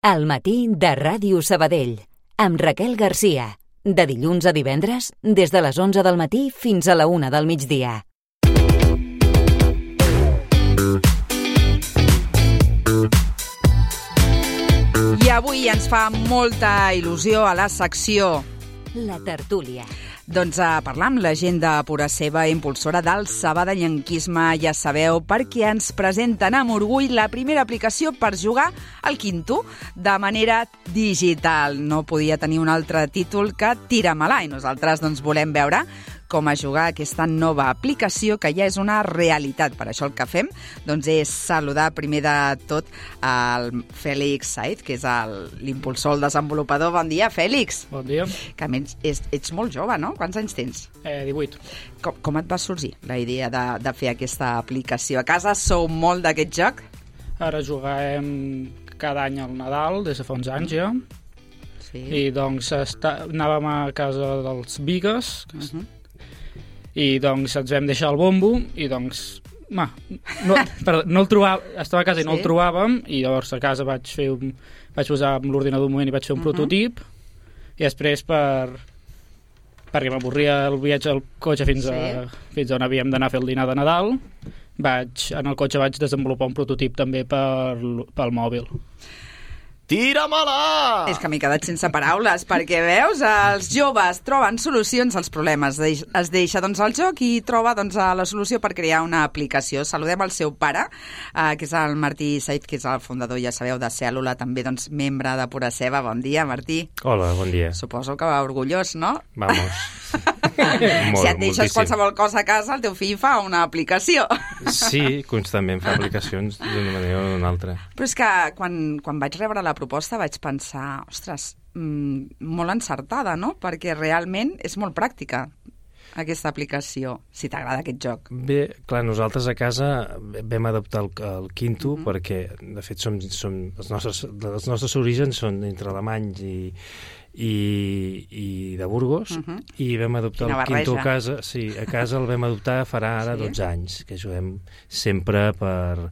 Al matí de Ràdio Sabadell, amb Raquel Garcia. De dilluns a divendres, des de les 11 del matí fins a la 1 del migdia. I avui ens fa molta il·lusió a la secció La tertúlia. doncs a parlar amb la gent de Pura Ceba, impulsora del sabadellenquisme. Ja sabeu, perquè ens presenten amb orgull la primera aplicació per jugar al quinto de manera digital. No podia tenir un altre títol que Tira-me-la, i nosaltres doncs volem veure com a jugar aquesta nova aplicació que ja és una realitat. Per això el que fem doncs, és saludar primer de tot el Fèlix Saiz, que és l'impulsor, el desenvolupador. Bon dia, Fèlix. Bon dia. Que a més ets molt jove, no? Quants anys tens? 18. Com et va sorgir la idea de fer aquesta aplicació? A casa sou molt d'aquest joc? Ara juguem cada any al Nadal, des de fa uns anys ja, Sí. i doncs anàvem a casa dels Bigues, i doncs ens vam deixar el bombo, i doncs no el trobàvem, estava a casa i no el trobàvem, i llavors a casa vaig posar amb l'ordinador un moment i vaig fer un prototip, i després perquè m'avorria el viatge al cotxe fins on havíem d'anar a fer el dinar de Nadal, en el cotxe vaig desenvolupar un prototip també pel mòbil. Tira-me-la! És que m'he quedat sense paraules, perquè veus, els joves troben solucions als problemes. Es deixa doncs, el joc i troba doncs, la solució per crear una aplicació. Saludem el seu pare, que és el Martí Saiz, que és el fundador, ja sabeu, de Cèl·lula, també doncs, membre de Pura Ceba. Bon dia, Martí. Hola, bon dia. Suposo que va orgullós, no? Vamos. Si et deixes qualsevol cosa a casa, el teu fill fa una aplicació. Sí, constantment fa aplicacions d'una manera o d'una altra. Però és que quan vaig rebre la proposta vaig pensar, ostres, molt encertada, no? Perquè realment és molt pràctica aquesta aplicació, si t'agrada aquest joc. Bé, clar, nosaltres a casa vam adaptar el quinto perquè, de fet, els nostres orígens són entre alemanys i de Burgos, i vam adoptar el quinto a casa. Sí, a casa el vam adoptar farà ara 12 anys, que juguem sempre per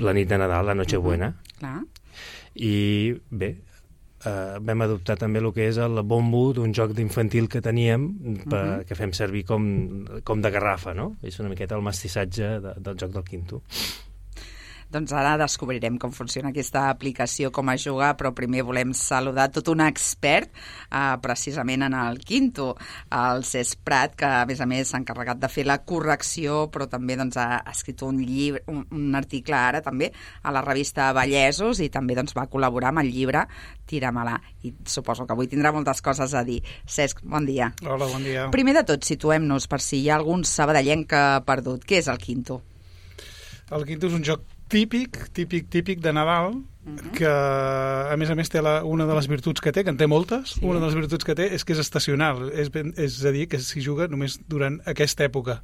la nit de Nadal, la Nochebuena. Clar. I bé, vam adoptar també el que és el bombo d'un joc d'infantil que teníem, que fem servir com de garrafa, no? És una miqueta el mestissatge del joc del quinto. Doncs ara descobrirem com funciona aquesta aplicació, com a jugar, però primer volem saludar tot un expert precisament en el quinto, el Cesc Prat, que a més s'ha encarregat de fer la correcció, però també doncs, ha escrit un llibre, un article ara també a la revista Vallesos, i també doncs, va col·laborar amb el llibre Tira-me-la, i suposo que avui tindrà moltes coses a dir. Cesc, bon dia. Hola, bon dia. Primer de tot, situem-nos per si hi ha algun sabadellenc que ha perdut. Què és el quinto? El quinto és un joc típic de Nadal, que a més té una de les virtuts que té, que en té moltes, una de les virtuts que té és que és estacional, és a dir, que s'hi juga només durant aquesta època,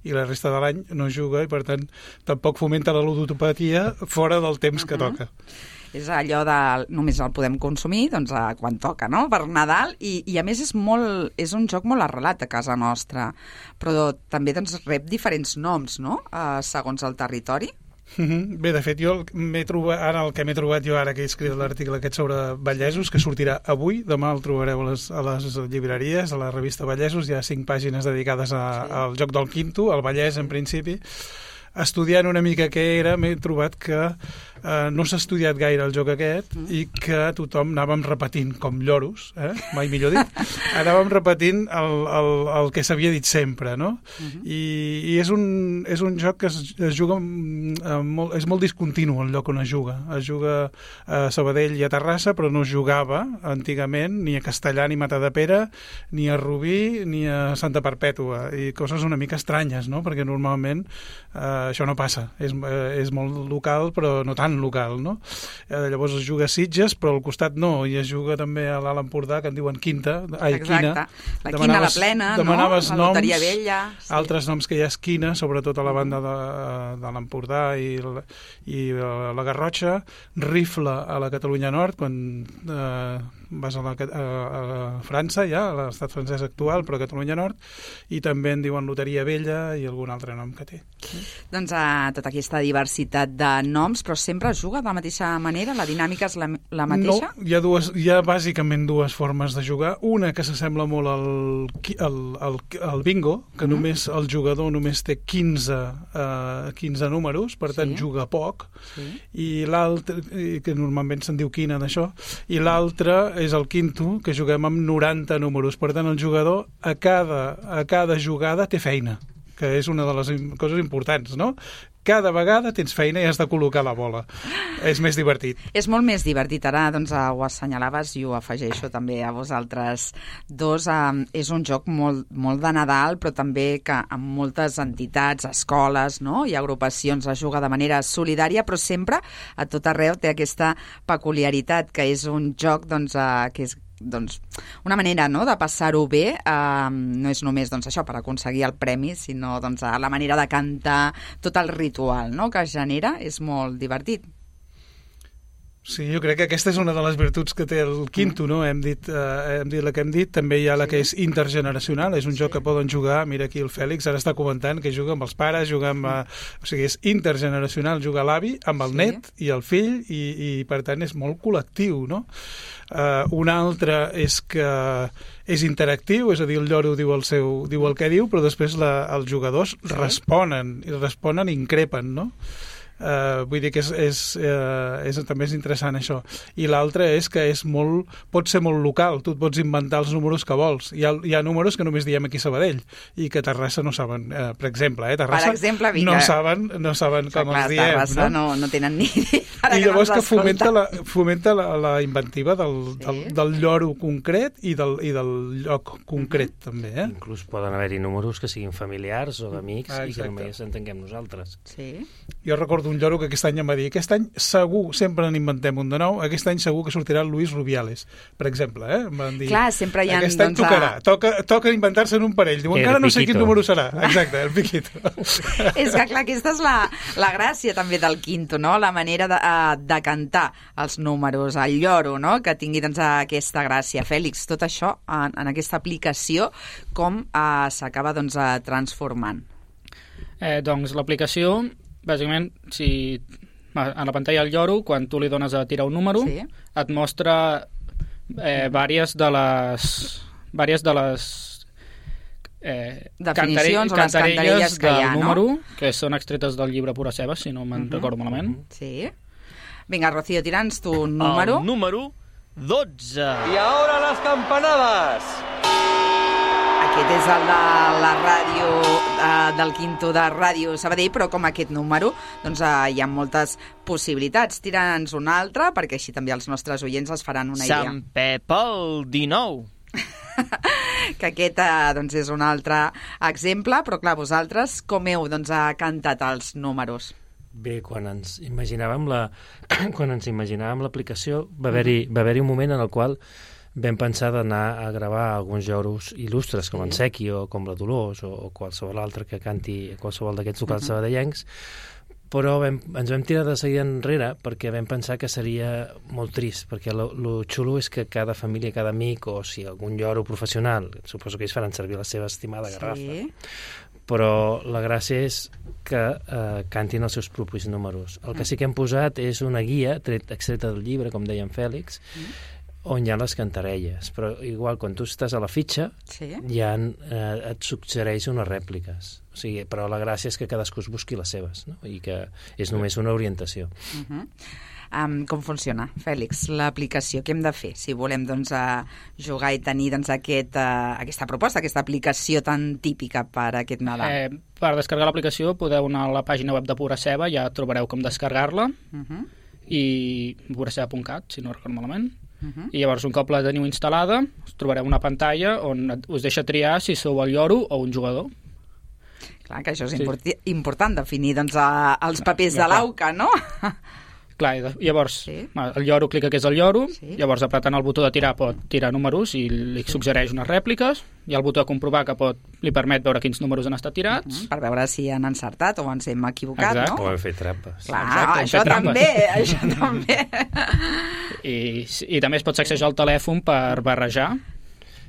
i la resta de l'any no juga, i per tant tampoc fomenta la ludopatia fora del temps que toca. És allò de només el podem consumir doncs, quan toca, no? Per Nadal, i a més és un joc molt arrelat a casa nostra, però també doncs, rep diferents noms, no? Segons el territori. Bé, de fet, jo el que m'he trobat jo ara que he escrit l'article aquest sobre Vallesos, que sortirà avui, demà el trobareu a les llibreries, a la revista Vallesos, hi ha 5 pàgines dedicades al joc del quinto, al Vallès en principi. Estudiant una mica què era, m'he trobat que no s'ha estudiat gaire el joc aquest i que tothom anàvem repetint, com lloros, mai millor dit, anàvem repetint el que s'havia dit sempre, no? I és un joc que es juga és molt discontinu el lloc on es juga. Es juga a Sabadell i a Terrassa, però no es jugava antigament ni a Castellà ni Matadepera, ni a Rubí ni a Santa Perpètua, i coses una mica estranyes, no? Perquè normalment això no passa. És molt local, però no tan local, no? Llavors es juga a Sitges, però al costat no, i es juga també a l'Alt Empordà, que en diuen Quinta. Exacte. La Quina, la Plena, no? La Loteria Vella. Altres noms que hi ha és Quina, sobretot a la banda de l'Empordà i la Garrotxa. Rifle a la Catalunya Nord, quan vas a França, ja, a l'estat francès actual, però a Catalunya Nord, i també en diuen Loteria Vella i algun altre nom que té. Doncs tota aquesta diversitat de noms, però sempre sempre es juga de la mateixa manera? La dinàmica és la mateixa? No, hi ha bàsicament dues formes de jugar. Una que s'assembla molt al bingo, que només el jugador només té 15 números, per tant juga poc, i l'altre, que normalment se'n diu quina d'això, i l'altre és el quinto, que juguem amb 90 números. Per tant, el jugador a cada jugada té feina, que és una de les coses importants, no? Cada vegada tens feina i has de col·locar la bola. És més divertit. És molt més divertit. Ara doncs, ho assenyalaves i ho afegeixo també a vosaltres dos. És un joc molt de Nadal, però també que amb moltes entitats, escoles, no? I agrupacions es juga de manera solidària, però sempre a tot arreu té aquesta peculiaritat, que és un joc que és una manera, no?, de passar-ho bé. No és només això per aconseguir el premi, sinó la manera de cantar, tot el ritual, no?, que es genera, és molt divertit. Sí, jo crec que aquesta és una de les virtuts que té el quinto, no? Hem dit la que hem dit. També hi ha la que és intergeneracional, és un joc que poden jugar, mira aquí el Fèlix ara està comentant que juga amb els pares, juga amb... O sigui, és intergeneracional, juga l'avi amb el net i el fill, i per tant és molt col·lectiu, no? Un altre és que és interactiu, és a dir, el lloro diu el que diu, però després els jugadors responen i increpen, no? Vull dir que també és interessant això. I l'altre és que pot ser molt local, tu et pots inventar els números que vols. Hi ha números que només diem aquí a Sabadell i que a Terrassa no saben, per exemple, Terrassa no saben com els diem. Terrassa no tenen ni idea. I llavors que fomenta la inventiva del lloro concret i del lloc concret, també. Inclús poden haver-hi números que siguin familiars o d'amics i que només entenguem nosaltres. Sí. Jo recordo un lloro que aquest any em va dir, aquest any segur, sempre n'inventem un de nou, aquest any segur que sortirà el Luis Rubiales, per exemple, em van dir. Clar, sempre hi ha... Aquest any toca inventar-se en un parell. Diu, encara no sé quin número serà. Exacte, el piquito. És que, clar, aquesta és la gràcia també del quinto, no? La manera de cantar els números, el lloro, no? Que tingui aquesta gràcia. Fèlix, tot això en aquesta aplicació, com s'acaba transformant? Doncs l'aplicació, bàsicament, si a la pantalla del lloro, quan tu li dones a tirar un número, et mostra vàries de les definicions o les cantarelles que hi ha, del número, que són extretes del llibre Pura Ceba, si no me'n recordo malament. Sí. Vinga, Rocío, tira'ns tu un número. El número 12. I ahora las campanadas. Aquest és el de la ràdio, del quinto de Ràdio Sabadell, però com aquest número, hi ha moltes possibilitats. Tira'ns un altre, perquè així també els nostres oients es faran una idea. Sant Pep el 19. Que aquest és un altre exemple, però clar, vosaltres com heu cantat els números? Bé, quan ens imaginàvem l'aplicació va haver-hi un moment en el qual vam pensar d'anar a gravar alguns lloros il·lustres, com en Sequi o com la Dolors o qualsevol altre que canti qualsevol d'aquests locals sabadellencs, però ens vam tirar de seguida enrere perquè vam pensar que seria molt trist, perquè lo xulo és que cada família, cada amic, o si algun lloro professional, suposo que ells faran servir la seva estimada garrafa, però la gràcia és que cantin els seus propis números. El que sí que hem posat és una guia extreta del llibre, com deia en Fèlix, on hi ha les cantarelles, però igual quan tu estàs a la fitxa et suggereix unes rèpliques, o sigui, però la gràcia és que cadascú es busqui les seves, no? I que és només una orientació. Com funciona, Fèlix, l'aplicació? Què hem de fer si volem jugar i tenir aquesta proposta, aquesta aplicació tan típica per aquest Nadal? Per descarregar l'aplicació podeu anar a la pàgina web de Pura Ceba, ja trobareu com descarregar-la, i puraceba.cat, si no recordo malament. I llavors, un cop la teniu instal·lada, us trobareu una pantalla on us deixa triar si sou el lloro o un jugador. Clar, que això és important, definir els papers de l'auca, no? Clar, llavors el lloro clica que és el lloro, llavors apretant el botó de tirar pot tirar números i li suggereix unes rèpliques, i el botó de comprovar que li permet veure quins números han estat tirats. Per veure si han encertat o ens hem equivocat, no? O hem fet trampes. Clar, això també. I també es pot sacsejar el telèfon per barrejar.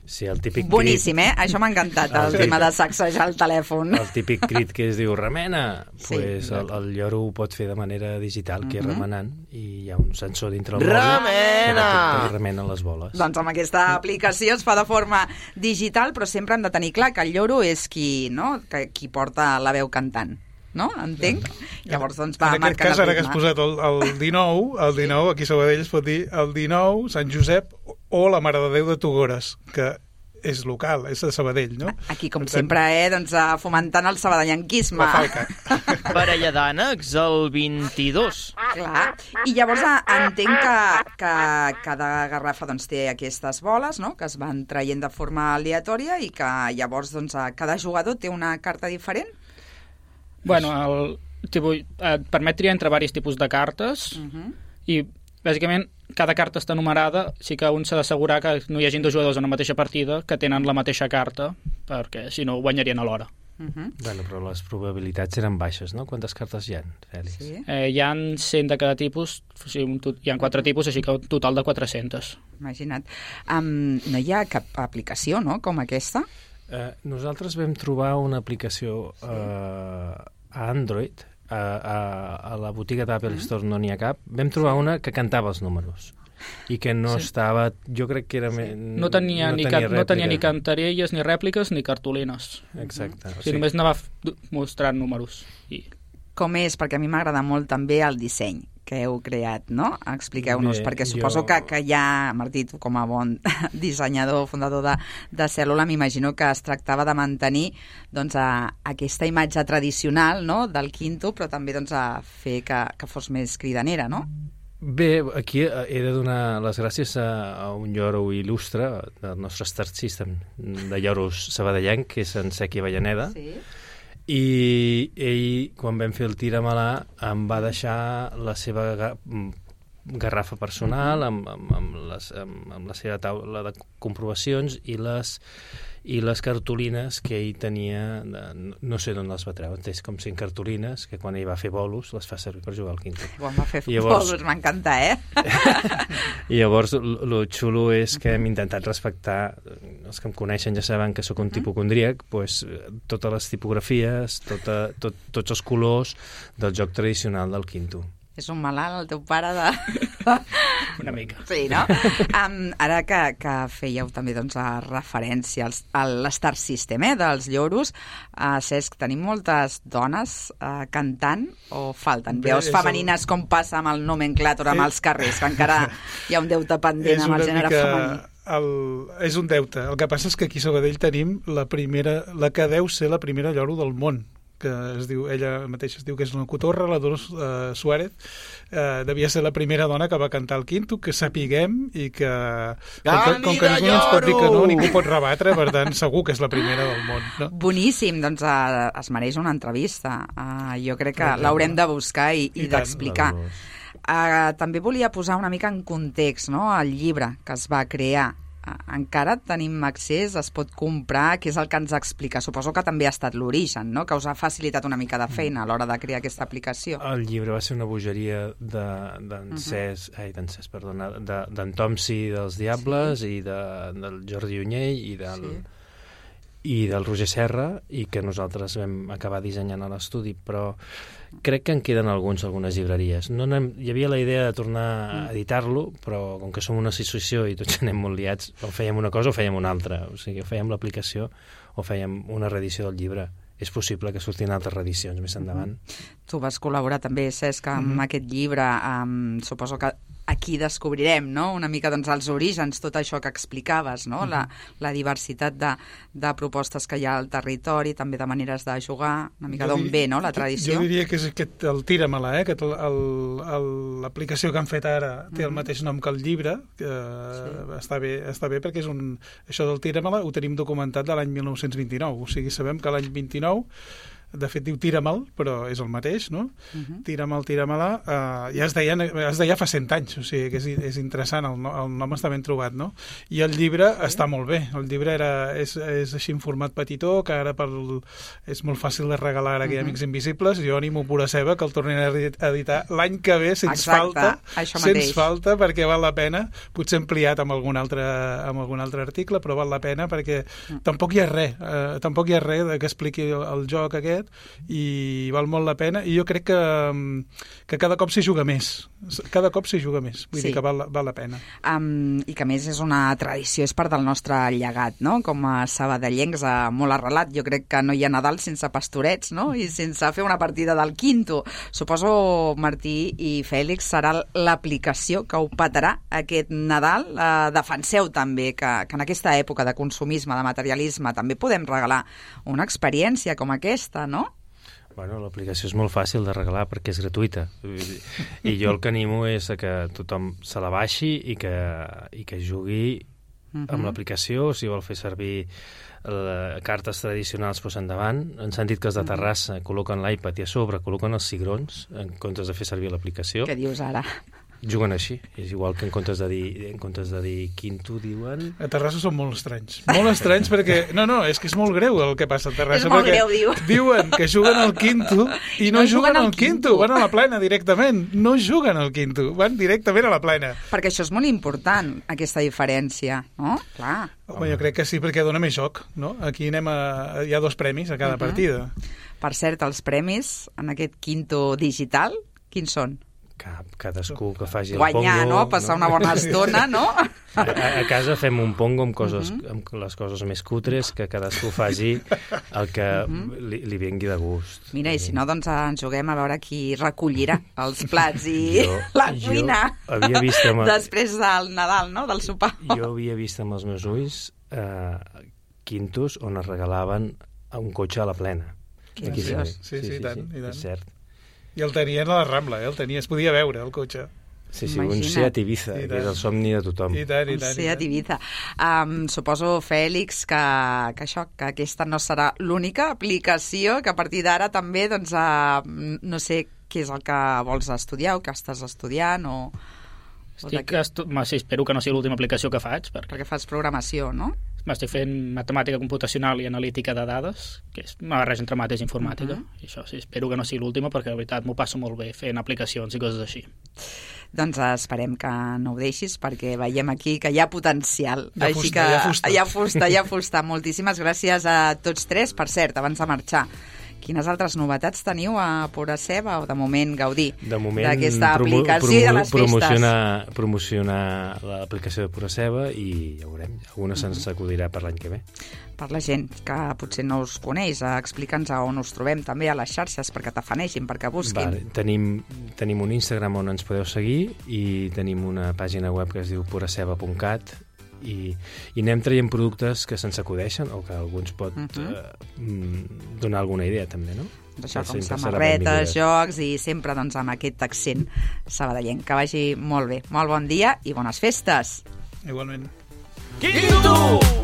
Sí, el típic Boníssim, Això m'ha encantat, el tema de sacsejar el telèfon. El típic crit que es diu remena, Sí. pues el lloro ho pot fer de manera digital, que és remenant, i hi ha un sensor dintre el Remena! que remena les boles. Doncs amb aquesta aplicació es fa de forma digital, però sempre hem de tenir clar que el lloro és qui porta la veu cantant. No? Entenc? Llavors, doncs, va en aquest marcant cas, el ara que has ritme. posat el 19, aquí a Sabadell es pot dir el 19, Sant Josep o la Mare de Déu de Togores, que és local, és de Sabadell, no? Aquí, com Per tant, sempre, doncs, fomentant el sabadellanquisme. La falca. Parella d'ànecs, el 22. Clar. I llavors entenc que cada garrafa doncs, té aquestes boles, no?, que es van traient de forma aleatòria i que llavors doncs, cada jugador té una carta diferent. Bueno, et permet triar entre diversos tipus de cartes i, bàsicament, cada carta està numerada, sí que un s'ha d'assegurar que no hi hagi dos jugadors en la mateixa partida que tenen la mateixa carta, perquè si no guanyarien alhora. Bueno, però les probabilitats eren baixes, no? Quantes cartes hi ha, Fèlix? Sí. Hi ha 100 de cada tipus, o sigui, hi ha 4 tipus, així que un total de 400. Imagina't. No hi ha cap aplicació, no?, com aquesta? Nosaltres vam trobar una aplicació a Android, a la botiga d'Apple Store no n'hi ha cap. Vam trobar una que cantava els números i que no estava... Jo crec que era... No tenia ni cantarelles, ni rèpliques, ni cartolines. Exacte. O sigui, només anava mostrant números. Com és? Perquè a mi m'agrada molt també el disseny que heu creat, no? Expliqueu-nos, perquè suposo que ja, Martí, tu com a bon dissenyador, fundador de Cèl·lula, m'imagino que es tractava de mantenir doncs, aquesta imatge tradicional, no?, del quinto, però també doncs, a fer que fos més cridanera, no? Bé, aquí he de donar les gràcies a un lloro il·lustre del nostre Star System de lloros sabadellenc, que és en Sequi Avellaneda. Sí. I ell, quan vam fer el tira-me-la, em va deixar la seva garrafa personal amb la seva taula de comprovacions i les cartolines que ell tenia, no sé d'on les va treure, és com 100 cartolines que quan ell va fer bolos les fa servir per jugar al quinto. Quan va fer bolos, m'encanta, I llavors el xulo és que hem intentat respectar, els que em coneixen ja saben que sóc un tipocondríac, doncs, totes les tipografies, tots els colors del joc tradicional del quinto. És un malalt, el teu pare de... Una mica. Sí, no? Ara que fèieu també doncs, referència a l'Star System dels lloros, Cesc, tenim moltes dones cantant o falten? Veus femenines com passa amb el nomenclàtor, amb els carrers, que encara hi ha un deute pendent amb el gènere femení. És un deute. El que passa és que aquí a Sabadell tenim la que deu ser la primera lloro del món, que es diu, ella mateixa es diu que és una cotorra, la Dolors Suárez, devia ser la primera dona que va cantar el quinto, que sapiguem, i que com que ningú ens pot dir que no, ningú pot rebatre, per tant segur que és la primera del món, no? Boníssim, doncs es mereix una entrevista. Jo crec que l'haurem de buscar i d'explicar. També volia posar una mica en context, no?, el llibre que es va crear. Encara tenim accés, es pot comprar, què és el que ens explica? Suposo que també ha estat l'origen, no?, que us ha facilitat una mica de feina a l'hora de crear aquesta aplicació. El llibre va ser una bogeria d'en Tomsi dels Diables i del Jordi Unyell i del Roger Serra, i que nosaltres vam acabar dissenyant a l'estudi, però crec que en queden algunes llibreries. Hi havia la idea de tornar a editar-lo, però com que som una associació i tots anem molt liats, o fèiem una cosa o fèiem una altra. O sigui, o fèiem l'aplicació o fèiem una reedició del llibre. És possible que surtin altres reedicions més endavant. Tu vas col·laborar també, Cesc, amb aquest llibre. Suposo que aquí descobrirem, no?, una mica doncs, els orígens, tot això que explicaves, no?, la diversitat de propostes que hi ha al territori, també de maneres de jugar, una mica d'on ve, no?, la tradició. Jo diria que és el tira-me-la, que l'aplicació que han fet ara té el mateix nom que el llibre, que està bé perquè és això del tira-me-la ho tenim documentat de l'any 1929, o sigui, sabem que l'any 29 de fet diu tira-me'l, però és el mateix, no? Tira-me'l-la, ja es deia fa 100 anys, o sigui que és interessant, el nom està ben trobat, no? I el llibre està molt bé, el llibre és així en format petitó, que ara és molt fàcil de regalar a Amics Invisibles. Jo animo Pura Ceba que el tornin a editar l'any que ve, sens falta, perquè val la pena, potser ampliat amb algun altre article, però val la pena perquè tampoc hi ha res que expliqui el joc aquest, i val molt la pena, i jo crec que cada cop s'hi juga més, vull dir que val la pena. I que a més és una tradició, és part del nostre llegat, no? Com a sabadellencs, molt arrelat. Jo crec que no hi ha Nadal sense pastorets, no? I sense fer una partida del Quinto. Suposo, Martí i Fèlix, serà l'aplicació que ho petarà aquest Nadal. Defenseu també que en aquesta època de consumisme, de materialisme, també podem regalar una experiència com aquesta, no? Bueno, l'aplicació és molt fàcil de regalar perquè és gratuïta. I jo el que animo és que tothom se la baixi i que jugui amb l'aplicació. Si vol fer servir cartes tradicionals, doncs endavant. Han sentit que els de Terrassa col·loquen l'iPad i a sobre col·loquen els cigrons en comptes de fer servir l'aplicació. Què dius ara? Juguen així. És igual que en comptes de dir Quinto, diuen... A Terrassa són molt estranys. Molt estranys perquè... No, és que és molt greu el que passa a Terrassa. És molt greu, diu. Diuen que juguen al Quinto i no juguen al Quinto. Van a la plena directament. No juguen al Quinto. Van directament a la plena. Perquè això és molt important, aquesta diferència, no? Clar. Home, jo crec que sí, perquè dona més joc, no? Aquí hi ha 2 premis a cada partida. Per cert, els premis en aquest Quinto digital, quins són? Cadascú que faci guanyar, el pongo... no? Passar una bona estona, no? A casa fem un pongo amb les coses més cutres, que cadascú faci el que li vingui de gust. Mira, i si no, doncs ens juguem a veure qui recollirà els plats i la cuina després del Nadal, no? Del sopar. Jo havia vist amb els meus ulls quintos on es regalaven un cotxe a la plena. Sí, tant. És cert. I el tenien a la Rambla, es podia veure, el cotxe. Sí, un Seat Ibiza, que és el somni de tothom. I tant. Un Seat Ibiza. Suposo, Fèlix, que aquesta no serà l'única aplicació, que a partir d'ara també, doncs, no sé què és el que vols estudiar o que estàs estudiant o... espero que no sigui l'última aplicació que faig. Perquè fas programació, no? Estic fent matemàtica computacional i analítica de dades, que és una barreja entre mates i informàtica, i això sí, espero que no sigui l'última, perquè de veritat m'ho passo molt bé fent aplicacions i coses així. Doncs esperem que no ho deixis, perquè veiem aquí que hi ha potencial. Hi ha fusta. Moltíssimes gràcies a tots 3. Per cert, abans de marxar, quines altres novetats teniu a Pura Ceba o de moment gaudir d'aquesta aplicació i de les festes? Promocionar l'aplicació de Pura Ceba i ja veurem, alguna se'ns acudirà per l'any que ve. Per la gent que potser no us coneix, explica'ns on us trobem també a les xarxes perquè t'afaneixin, perquè busquin. Tenim un Instagram on ens podeu seguir i tenim una pàgina web que es diu puraceba.cat i anem traient productes que se'ns acudeixen o que algú ens pot donar alguna idea també, no? Això, com samarretes, jocs i sempre doncs, amb aquest accent sabadellenc. Que vagi molt bé. Molt bon dia i bones festes. Igualment. Quinto!